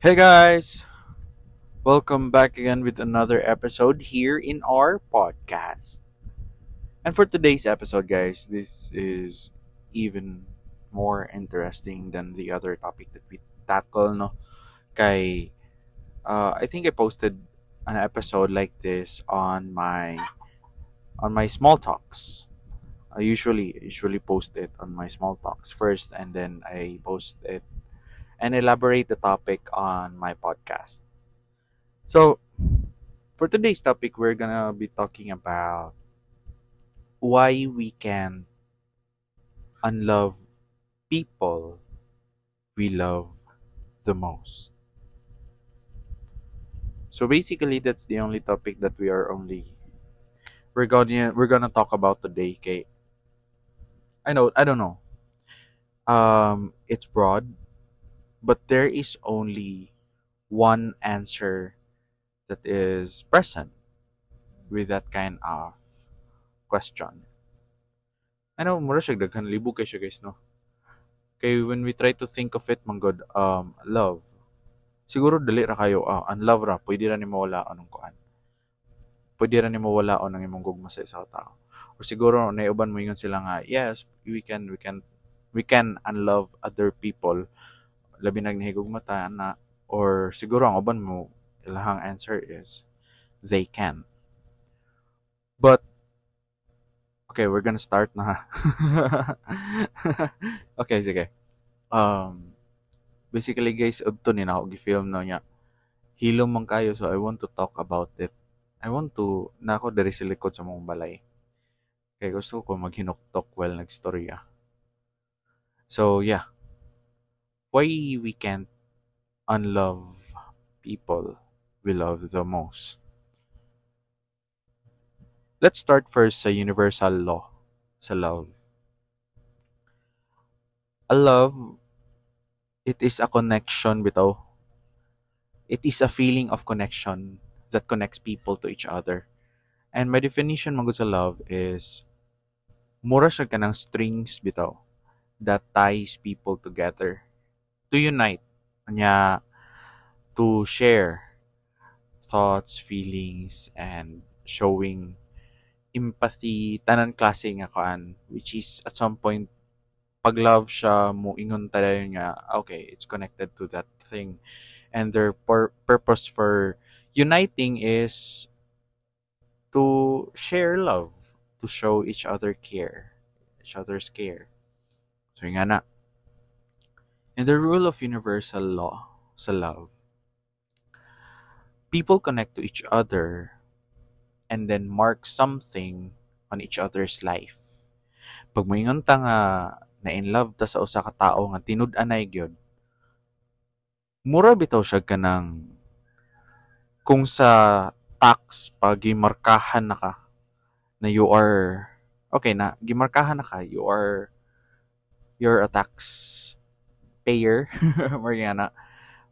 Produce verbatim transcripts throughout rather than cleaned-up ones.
Hey guys! Welcome back again with another episode here in our podcast. And for today's episode, guys, this is even more interesting than the other topic that we tackle, no? Kay, uh, I think I posted an episode like this on my on my small talks. I usually usually post it on my small talks first, and then I post it and elaborate the topic on my podcast. So, for today's topic, we're gonna be talking about why we can unlove people we love the most. So basically, that's the only topic that we are only we're gonna we're gonna talk about today. Okay, I know I don't know. Um, it's broad, but there is only one answer that is present with that kind of question. I know, mura siya daghan libo kay siya guys, no? Kay when we try to think of it, man gud, um, love. Siguro dali ra kayo, ah, unlove ra, pwede ra nimo wala anong kuan. Pwede ra nimo walaon ang imong gugma sa isa ka tao. Or siguro naay uban moingon sila nga, yes, we can we can we can unlove other people labi nag nahigugma ta na or siguro ang uban mo ilahang answer is they can. But okay, we're gonna start na. okay, sige. Um, basically guys, udto ni nako gi-film no niya. Hilom man kayo so I want to talk about it. I want to naa ko diri sa likod sa among balay. Kay gusto ko maghinuktok while nagstorya. So yeah. Why we can't unlove people we love the most. Let's start first sa universal law sa love. A love, it is a connection bitaw. It is a feeling of connection that connects people to each other. And my definition man gud sa love is mura siya kanang strings bitaw that ties people together to unite nya to share thoughts, feelings and showing empathy tanan klase nga kuan which is at some point pag love siya mo ingon tayo nga okay it's connected to that thing and their pur- purpose for uniting is to share love to show each other care each other's care so nga na in the rule of universal law sa love people connect to each other and then mark something on each other's life pag moingon ta nga na in love ta sa usa ka tawo nga tinud-anay gyud mura bitaw siya kanang kung sa tax pag gimarkahan na ka na you are okay na gimarkahan na ka you are you're a tax payer more nga na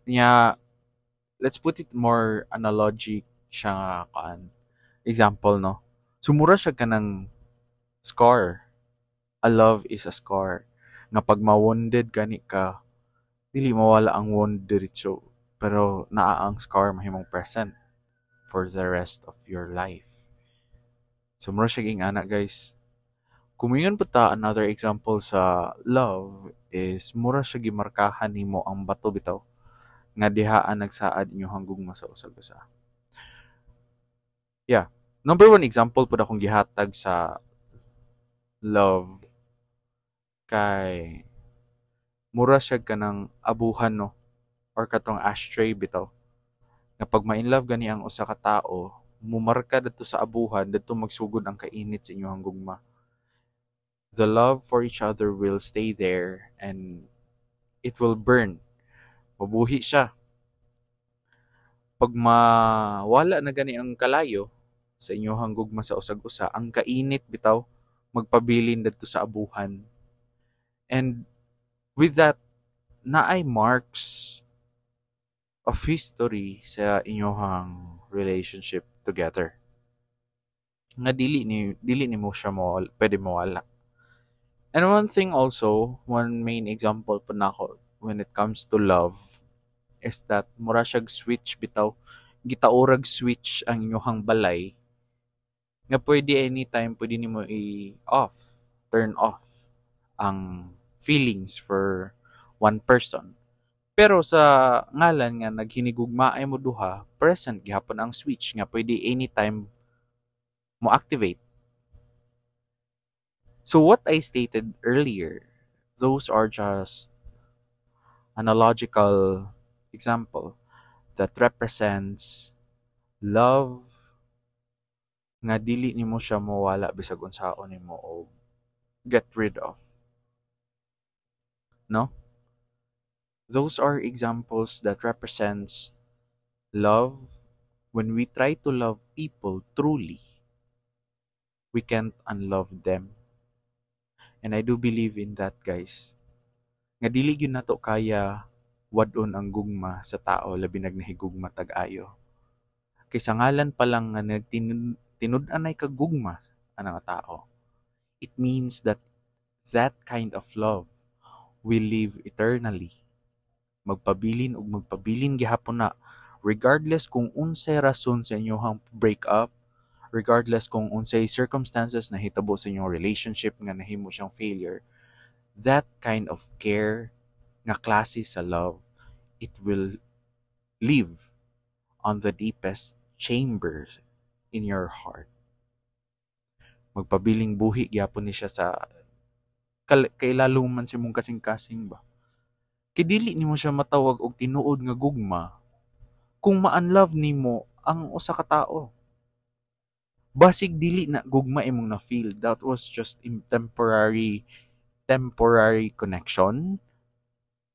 nya let's put it more analogic siya nga kuan example no so mura siya kanang scar a love is a scar nga pag ma-wounded gani ka dili mawala ang wound diretso pero naa ang scar mahimong present for the rest of your life so mura siya ingana guys kung moingon pa ta another example sa love is mura siya gimarkahan nimo ang bato bitaw nga dihaan nagsaad inyong gugma sa usag usa yeah number one example pud akong gihatag sa love kay mura siya kanang abuhan no or katong ashtray bitaw nga pag ma-inlove gani ang usa ka tawo mumarka didto sa abuhan didto magsugod ang kainit sa inyong gugma the love for each other will stay there and it will burn mabuhi siya pag mawala na gani ang kalayo sa inyong gugma sa usag usa ang kainit bitaw magpabilin didto sa abuhan and with that naay marks of history sa inyong relationship together nga dili ni dili nimo siya mo pwede mawala and one thing also one main example pud nako when it comes to love is that mura siyag switch bitaw gitaorag switch ang inyong balay nga pwede anytime pwede nimo i-off, turn off ang feelings for one person. Pero sa ngalan nga naghinigugmaay mo duha, present gihapon ang switch nga pwede anytime mo activate. So what I stated earlier, those are just analogical example that represents love nga dili nimo siya mawala bisag unsaon nimo o get rid of. No? Those are examples that represents love when we try to love people truly. We can't unlove them. And I do believe in that, guys. Nga dili gyud nato kaya wad-on ang gugma sa tao labi nag nahigugma tag ayo. Kay sa ngalan pa lang nga nagtinud-anay ka gugma ana nga tao. It means that that kind of love will live eternally. Magpabilin ug magpabilin gihapon na regardless kung unsay rason sa inyong break up, regardless kung unsay circumstances na hitabo sa inyong relationship nga nahimo siyang failure, that kind of care nga klase sa love, it will live on the deepest chambers in your heart. Magpabiling buhi gyapon ni siya sa kailalom man sa imong kasing-kasing ba. Kay dili nimo siya matawag og tinuod nga gugma kung ma-unlove nimo ang usa ka tawo. Basig dili na gugma imong na-feel. That was just temporary temporary connection.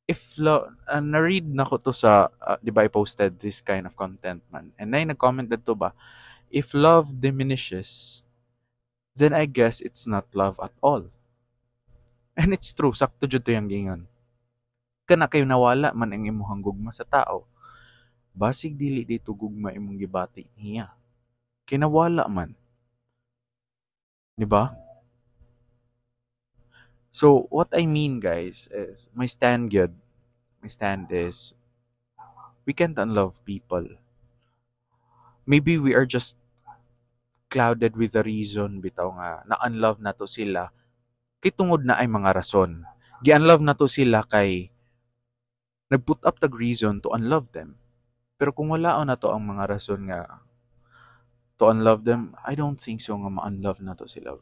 If lo, uh, na-read na ko to sa, uh, di ba I posted this kind of content man. And then nag-comment dito ba, if love diminishes, then I guess it's not love at all. And it's true, sakto jud to yung gingon. Kana kayo nawala man ang imuhang gugma sa tao. Basig dili dito gugma imong gibati niya. Kinawala man. Di ba? So, what I mean, guys, is my stand good. My stand is we can't unlove people. Maybe we are just clouded with the reason bitaw nga na-unlove nato sila kay tungod na ay mga rason. Gi-unlove nato sila kay nag-put up tag reason to unlove them. Pero kung wala na to ang mga rason nga to unlove them, I don't think so nga ma-unlove nato sila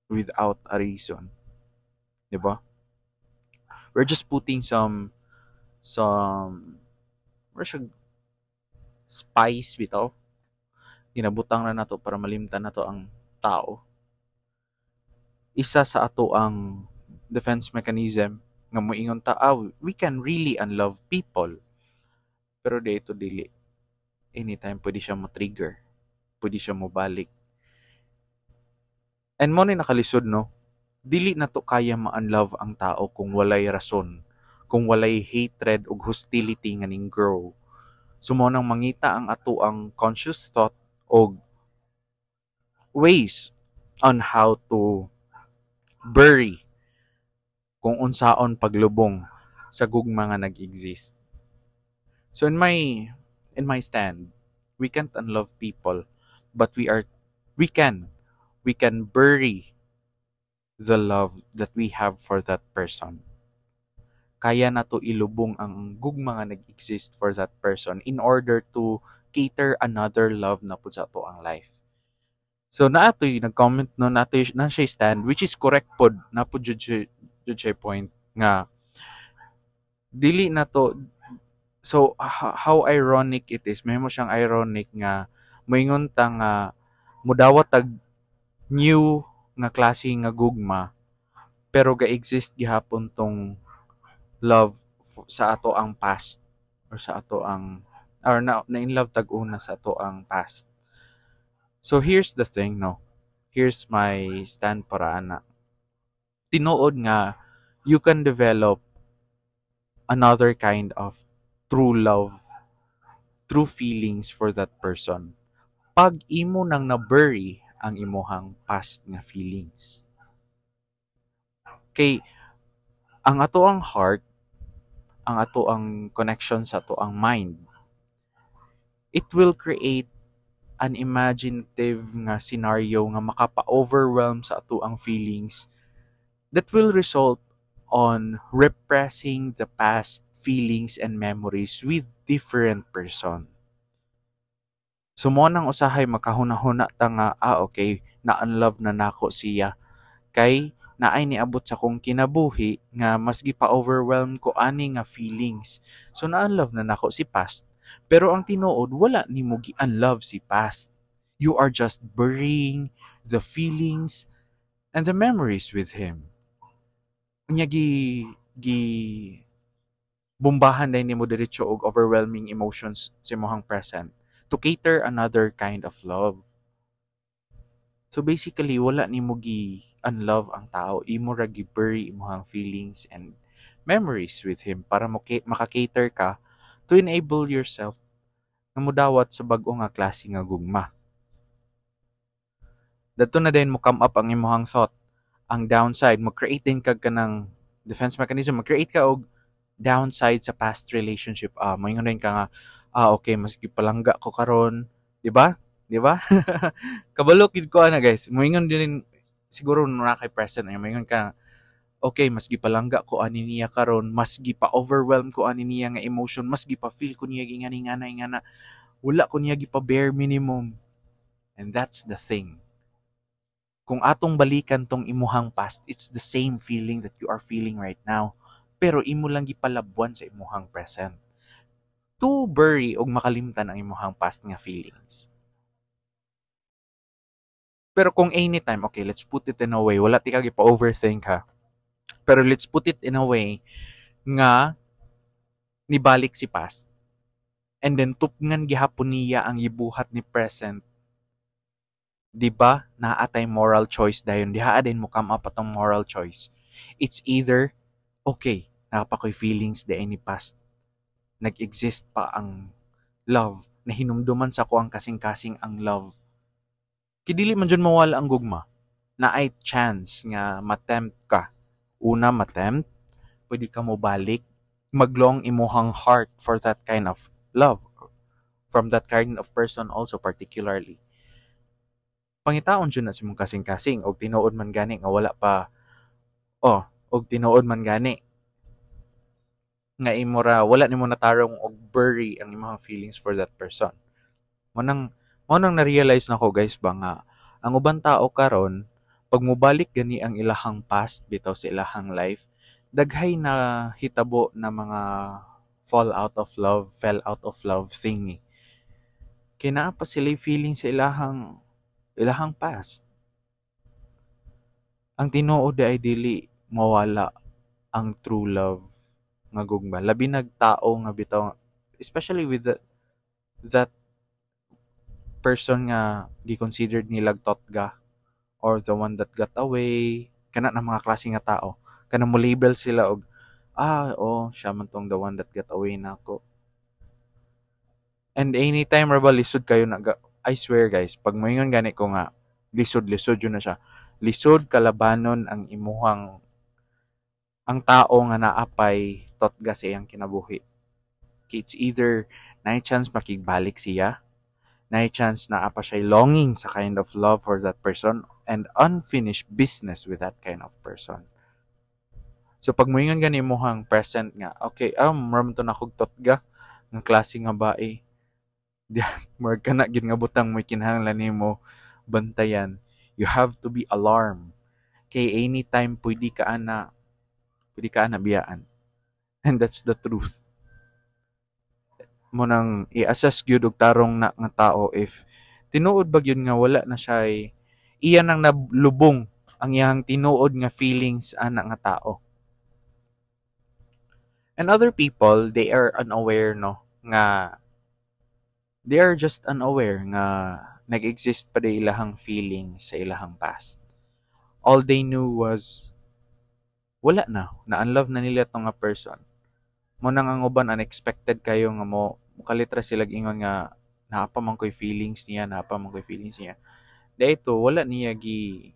without a reason. 'Di ba? We're just putting some some we're siya spice bitaw. Ginabutang na nato para malimtan nato ang tao. Isa sa ato ang defense mechanism nga moingon ta ah, we can really unlove people. Pero dito dili. Anytime pwede siya mo-trigger. Pwede siya mo balik. And mo ni nakalisod no. Dili na to kaya ma-unlove ang tao kung walay rason, kung walay hatred ug hostility nga ning grow. So mo nang mangita ang ato ang conscious thought og ways on how to bury kung unsaon paglubong sa gugma nga nag-exist. So in my in my stand, we can't unlove people, but we are we can we can bury the love that we have for that person. Kaya nato ilubong ang gugma nga nag-exist for that person in order to cater another love na pud sa ato ang life. So naatoy nag-comment no naatoy na siya stand which is correct pod na pod jud siya jud siya point nga dili na to so how ironic it is may mo siyang ironic nga moingon ta nga mudawat tag new nga klase nga gugma pero ga-exist gihapon tong love sa ato ang past or sa ato ang or na, na in love tag una sa ato ang past. So here's the thing no. Here's my stand para ana. Tinuod nga you can develop another kind of true love, true feelings for that person. Pag imo nang na-bury ang imuhang past nga feelings. Kay ang ato ang heart, ang atoang connection sa atoang mind. It will create an imaginative nga scenario nga makapa-overwhelm sa atoang feelings that will result on repressing the past feelings and memories with different person. So mao nang usahay makahuna-huna ta nga ah okay na-unlove na nako siya kay naay niabot sa akong kinabuhi nga mas gipa-overwhelm ko ani nga feelings. So na-unlove na nako si past. Pero ang tinuod wala nimo gi-unlove si past. You are just burying the feelings and the memories with him. Unya gi gi bombahan din nimo diretso og overwhelming emotions sa imong present to cater another kind of love. So basically wala nimo gi unlove ang tao, imo ra gi-bury imong feelings and memories with him para mo maka-cater ka to enable yourself nga mudawat sa bag-o nga klase nga gugma. Dadto na din mo come up ang imong thought. Ang downside, mo-create din kag kanang defense mechanism, mag-create ka og downside sa past relationship. Ah, moingon din ka nga, ah okay, mas gipalangga ko karon, di ba? Di ba? Kabalo gid ko ana guys. Moingon din siguro na kay present ay moingon ka okay, mas gipalangga ko ani niya karon, mas gipa-overwhelm ko ani niya nga emotion, mas gipa-feel ko niya ingani ngana ingana. Wala ko niya gipa bare minimum. And that's the thing. Kung atong balikan tong imuhang past, it's the same feeling that you are feeling right now. Pero imo lang gipalabwan sa imuhang present. To bury og makalimtan ang imuhang past nga feelings. Pero kung anytime, okay, let's put it in a way, wala ti ka gipa-overthink ha. Pero let's put it in a way nga nibalik si past. And then tupngan gihapon niya ang gibuhat ni present. 'Di ba? Naa tay moral choice dayon. Diha din mo come up atong moral choice. It's either okay, naa pa ko'y feelings diay ni past. Nag-exist pa ang love. Nahinumduman sa ko ang kasing-kasing ang love. Kay dili man jud mawala ang gugma. Naay chance nga matempt ka. Una, matempt. Pwede ka mo balik. Maglong imuhang heart for that kind of love. From that kind of person also particularly. Pangitaon jud na sa imong kasing-kasing og tinuod man gani nga wala pa oh, og tinuod man gani nga imo ra wala nimo natarong og bury ang imong feelings for that person. Mao nang mao nang na-realize nako guys ba nga ang uban tao karon pag mobalik gani ang ilahang past bitaw sa ilahang life, daghay na hitabo na mga fall out of love, fell out of love thingy. Kay naa pa sila feeling sa ilahang ilahang past. Ang tinuod ay dili mawala ang true love nga gugma. Labi nag tao nga bitaw especially with the, that person nga gi-considered nilag totga or the one that got away kana na mga klase nga tao kana mo label sila og ah oh siya man tong the one that got away nako and anytime ra ba lisod kayo na I swear guys pag moingon gani ko nga lisod lisod yun na siya lisod kalabanon ang imuhang ang tao nga naapay totga sa iyang kinabuhi it's either naay chance makigbalik siya naay chance naa pa siya longing sa kind of love for that person and unfinished business with that kind of person So pag moingon gani imong present nga, okay, ah, mura man to nakog totga nga klase nga bae. Di murag kana gyud nga butang mo'y kinahanglan nimo bantayan. You have to be alarmed. Kay anytime pwede ka ana, pwede ka ana biyaan. And that's the truth. Mao nang i-assess gyud og tarong na nga tao if tinuod ba gyud nga wala na siya iya nang nalubong ang iyang tinuod nga feelings ana nga tao. And other people, they are unaware no nga they are just unaware nga nag-exist pa di ilahang feelings sa ilahang past. All they knew was wala na, na-unlove na nila tong nga person. Mao nang ang uban unexpected kayo nga mo mukalitra sila ingon nga naa pa man ko'y feelings niya, naa pa man ko'y feelings niya. Dahito wala niya gi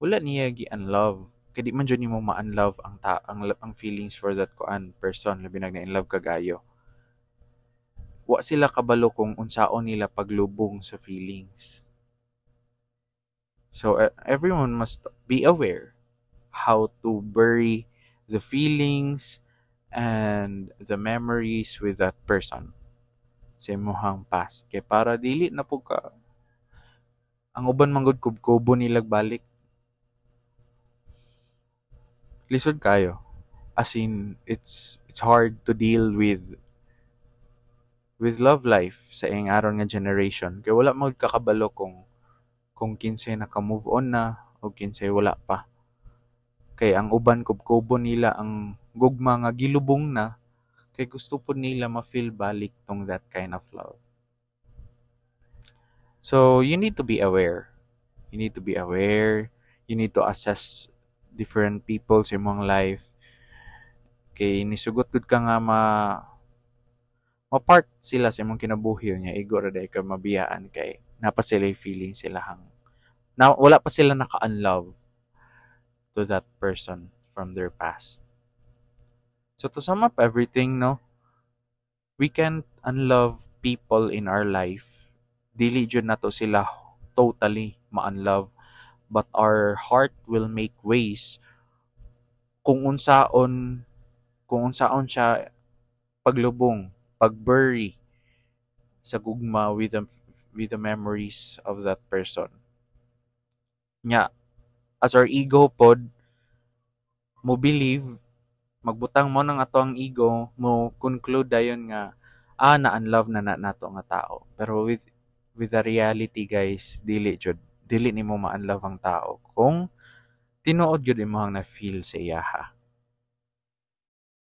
wala niya gi unlove Kay di man jud nimo ma-unlove ang ta ang, ang feelings for that kuan person labi na in love ka kaayo. Wa sila kabalo kung unsaon nila paglubong sa feelings. So uh, everyone must be aware how to bury the feelings and the memories with that person sa imong past kay para dili na pud ka ang uban man gud kubkubo nilag balik lisod kayo as in it's it's hard to deal with with love life sa ing aron nga generation kay wala man kakabalo kung kung kinsay naka-move on na o kinsay wala pa kay ang uban kubkubo nila ang gugma nga gilubong na kay gusto pud nila ma-feel balik tong that kind of love so you need to be aware you need to be aware you need to assess different people sa imong life kay nisugot gud ka nga ma ma-part sila sa imong kinabuhi nya igo ra diay ka mabiyaan kay naa pa sila feeling sila hang na wala pa sila naka-unlove to that person from their past. So to sum up everything, no, we can't unlove people in our life. Dili jud nato sila totally ma-unlove but our heart will make ways kung unsaon kung unsaon siya paglubong, pagbury sa gugma with the with the memories of that person. Nya, as our ego pod mo believe magbutang mo ng ato ang ego mo conclude dayon nga ah na-unlove na na nato nga tao pero with with the reality guys dili jud dili nimo ma-unlove ang tao kung tinuod gyud imong na-feel sa iyaha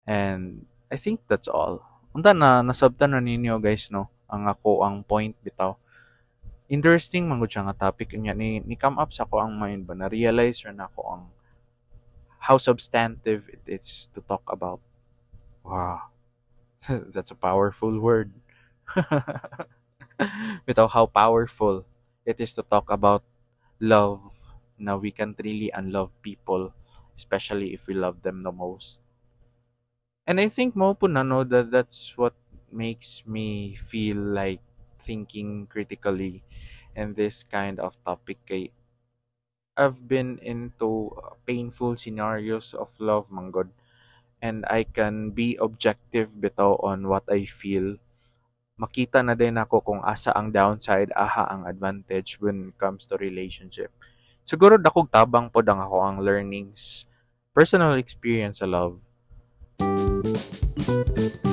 and I think that's all unta na nasabtan na ninyo guys no ang ako ang point bitaw interesting man gud siya nga topic unya ni ni come up sa ako ang mind ba na realize ra nako ang how substantive it is to talk about wow that's a powerful word bitaw how powerful it is to talk about love na we can't really unlove people especially if we love them the most and I think mao pud na no that that's what makes me feel like thinking critically in this kind of topic kay I've been into painful scenarios of love manggod and I can be objective bitaw on what I feel makita na din ako kung asa ang downside aha ang advantage when it comes to relationship siguro dakog tabang pod ang ako ang learnings personal experience sa love Thank you.